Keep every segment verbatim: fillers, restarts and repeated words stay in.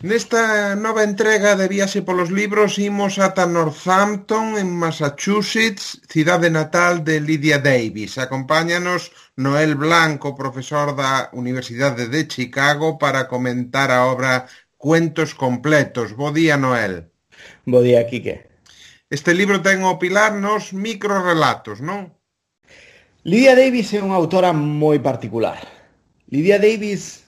Nesta nova entrega de Viaxe polos Libros imos ata Northampton, en Massachusetts, cidade natal de Lydia Davis. Acompáñanos Noel Blanco, profesor da Universidade de Chicago, para comentar a obra Cuentos completos. Bo día, Noel. Bo día, Quique. Este libro ten ao pilar nos microrelatos, non? Lydia Davis é unha autora moi particular. Lydia Davis,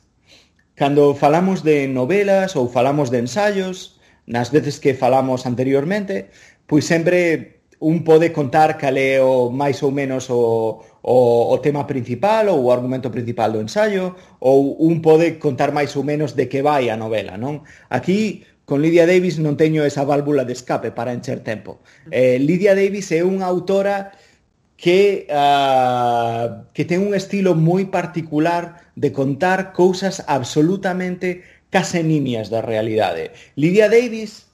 cando falamos de novelas ou falamos de ensaios, nas veces que falamos anteriormente, pois sempre un pode contar cal é o máis ou menos o, o, o tema principal ou o argumento principal do ensaio, ou un pode contar máis ou menos de que vai a novela, non? Aquí, con Lydia Davis non teño esa válvula de escape para encher tempo. Eh, Lydia Davis é unha autora que, uh, que ten un estilo moi particular de contar cousas absolutamente case nimias da realidade. Lydia Davis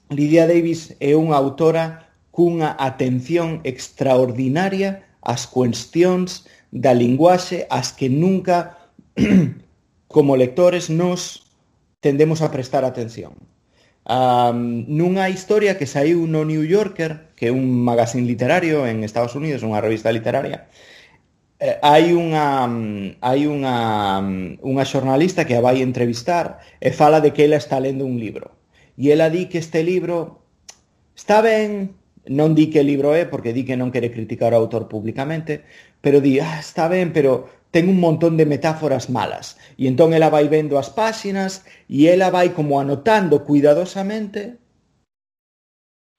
Lydia Davis é unha autora cunha atención extraordinaria ás cuestións da linguaxe ás que nunca como lectores nos tendemos a prestar atención. Um, nunha historia que saiu no New Yorker, que é un magazine literario en Estados Unidos, unha revista literaria, eh, hai unha hai unha unha xornalista que a vai entrevistar e fala de que ela está lendo un libro. E ela di que este libro está ben, non di que libro é porque di que non quere criticar o autor públicamente, pero di, ah, está ben, pero ten un montón de metáforas malas. E entón ela vai vendo as páxinas e ela vai como anotando cuidadosamente,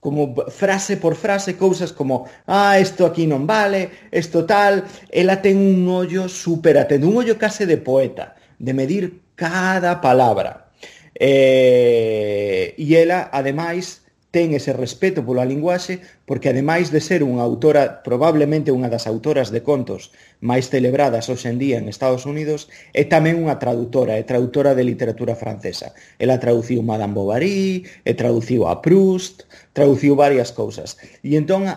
como frase por frase, cousas como, ah, isto aquí non vale, isto tal. Ela ten un ollo super atento, un ollo case de poeta, de medir cada palabra. Eh, e ela, ademais, ten ese respeto pola linguaxe, porque ademais de ser unha autora, probablemente unha das autoras de contos máis celebradas hoxe en día en Estados Unidos, é tamén unha traductora, é traductora de literatura francesa. Ela traduciu Madame Bovary, e traduciu a Proust, traduciu varias cousas. E entón,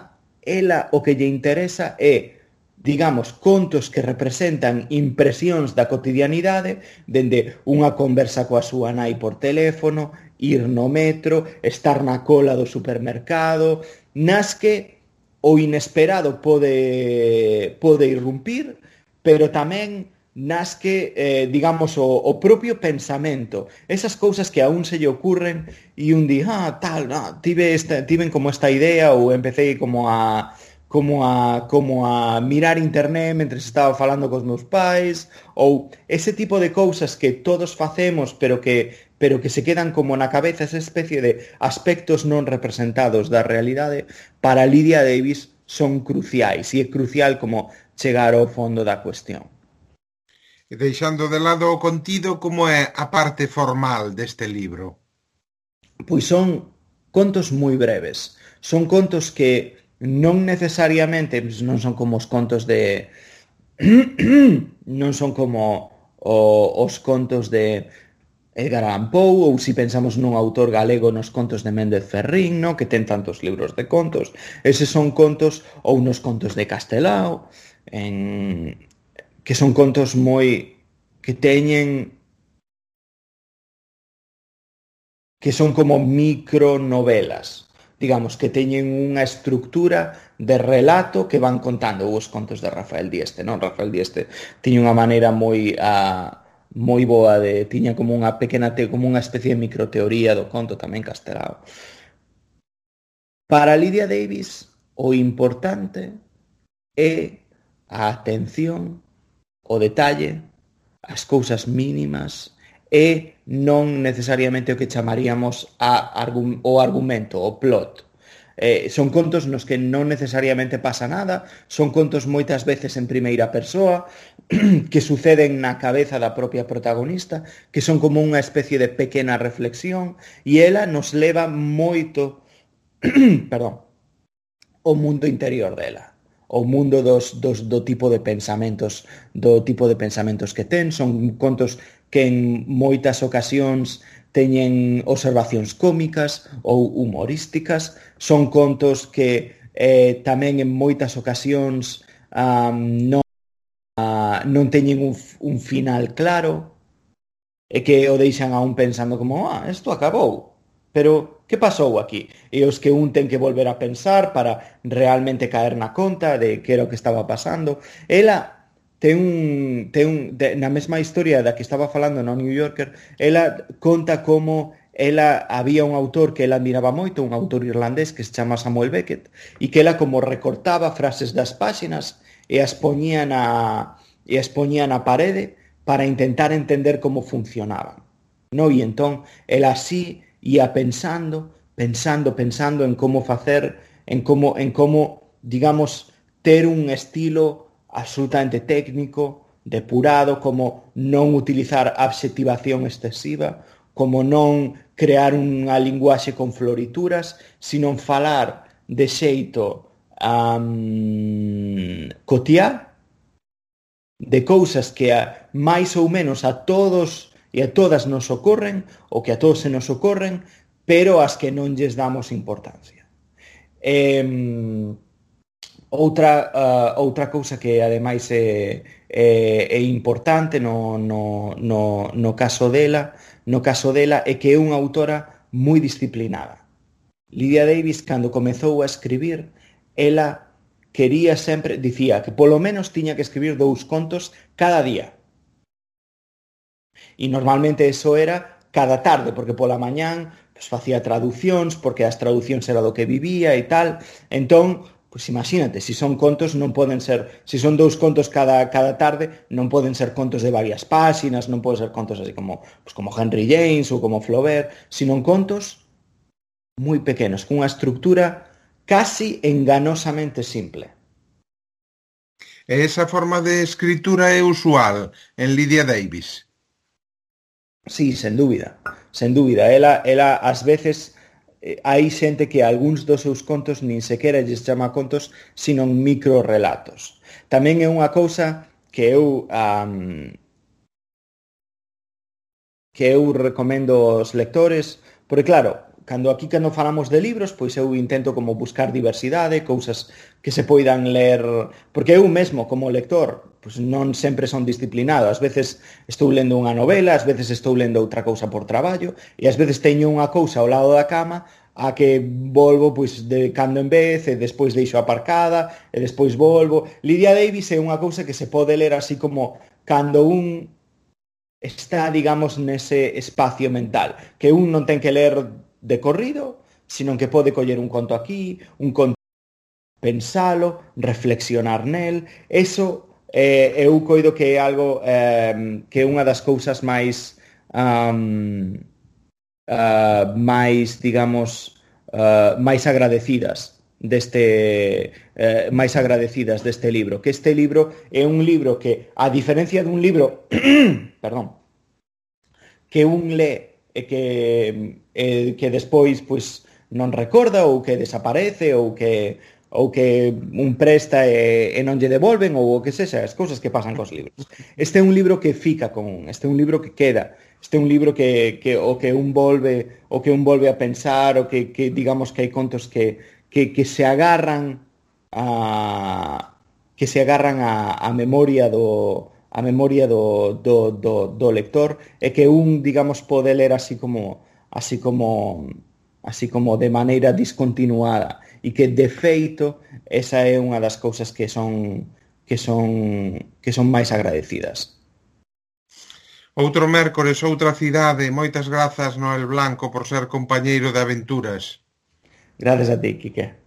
ela o que lle interesa é, digamos, contos que representan impresións da cotidianidade, dende unha conversa coa súa nai por teléfono, ir no metro, estar na cola do supermercado, nas que o inesperado pode, pode irrumpir, pero tamén nas que, eh, digamos, o, o propio pensamento, esas cousas que a un se lle ocurren e un di, ah, tal, ah, tive esta, tiven como esta idea ou empecé como a como a como a mirar internet mentre estaba falando cos meus pais, ou ese tipo de cousas que todos facemos, pero que pero que se quedan como na cabeza, esa especie de aspectos non representados da realidade, para Lydia Davis son cruciais, e é crucial como chegar ao fondo da cuestión. E deixando de lado o contido, como é a parte formal deste libro? Pois son contos moi breves. Son contos que non necesariamente non son como os contos de non son como o, os contos de Edgar Allan Poe, ou se pensamos nun autor galego nos contos de Méndez Ferrín, no? Que ten tantos libros de contos. Eses son contos, ou nos contos de Castelao, en... que son contos moi que teñen que son como micronovelas, digamos, que teñen unha estructura de relato que van contando. Os contos de Rafael Dieste, non? Rafael Dieste tiña unha maneira moi a moi boa de, tiña como unha pequena te, como unha especie de microteoría do conto, tamén Castelao. Para Lydia Davis, o importante é a atención, o detalle, as cousas mínimas, e non necesariamente o que chamaríamos a, o argumento, o plot. Eh, son contos nos que non necesariamente pasa nada, son contos moitas veces en primeira persoa, que suceden na cabeza da propia protagonista, que son como unha especie de pequena reflexión, e ela nos leva moito perdón, o mundo interior dela, o mundo dos, dos, do tipo de pensamentos, do tipo de pensamentos que ten. Son contos que en moitas ocasións teñen observacións cómicas ou humorísticas. Son contos que eh, tamén en moitas ocasións um, non, uh, non teñen un, un final claro. e que o deixan a un pensando como, ah, isto acabou, pero que pasou aquí? E os que un ten que volver a pensar para realmente caer na conta de que era o que estaba pasando. Ela ten un, ten un de, na mesma historia da que estaba falando no New Yorker, ela conta como ela había un autor que ela admiraba moito, un autor irlandés que se chama Samuel Beckett, e que ela como recortaba frases das páxinas e as poñía na, e as poñía na parede para intentar entender como funcionaban. No? E entón, ela así ia pensando, pensando, pensando en como facer, en como, en como, digamos, ter un estilo absolutamente técnico, depurado, como non utilizar adxetivación excesiva, como non crear unha linguaxe con florituras, sino falar de xeito um, cotiá, de cousas que a, máis ou menos a todos e a todas nos ocorren, ou que a todos se nos ocorren, pero as que non lles damos importancia. Eh, outra, uh, outra cousa que ademais é, é, é importante no, no, no, no caso dela, no caso dela é que é unha autora moi disciplinada. Lydia Davis, cando comezou a escribir, ela quería sempre, dicía que polo menos tiña que escribir dous contos cada día. E normalmente eso era cada tarde, porque pola mañán pues, facía traducións, porque as traducións era do que vivía e tal. Entón, pues imagínate, se si son contos non poden ser, se si son dous contos cada, cada tarde, non poden ser contos de varias páxinas, non poden ser contos así como, pues, como Henry James ou como Flaubert, sino contos moi pequenos, cunha estructura casi enganosamente simple. E esa forma de escritura é usual en Lydia Davis? Sí, sen dúbida, sen dúbida. Ela, ela ás veces, eh, hai xente que algúns dos seus contos nin sequera lles chama contos, sino microrelatos. Tamén é unha cousa que eu um, que eu recomendo aos lectores, porque claro, cando aquí cando falamos de libros, pois eu intento como buscar diversidade, cousas que se poidan ler, porque eu mesmo como lector, pois non sempre son disciplinado, ás veces estou lendo unha novela, ás veces estou lendo outra cousa por traballo, e ás veces teño unha cousa ao lado da cama a que volvo pois de cando en vez, e despois deixo aparcada, e despois volvo. Lydia Davis é unha cousa que se pode ler así como cando un está, digamos, nese espacio mental, que un non ten que ler de corrido, sino que pode coller un conto aquí, un conto, pensalo, reflexionar nel. Eso eh, eu coido que é algo eh, que é unha das cousas máis um, uh, máis, digamos, uh, máis agradecidas deste eh, máis agradecidas deste libro, que este libro é un libro que, a diferencia dun libro perdón, que un lee e que, eh, que despois pois, non recorda ou que desaparece ou que, ou que un presta e, e non lle devolven ou o que sexa, as cousas que pasan cos libros. Este é un libro que fica con un, este é un libro que queda, este é un libro que, que o que un volve o que un volve a pensar, o que, que digamos que hai contos que, que, que se agarran a que se agarran a, a memoria do a memoria do, do, do, do lector, e que un, digamos, pode ler así como así como así como de maneira discontinuada, e que de feito esa é unha das cousas que son que son que son máis agradecidas. Outro mércores, outra cidade. Moitas grazas, Noel Blanco, por ser compañeiro de aventuras. Gracias a ti, Quique.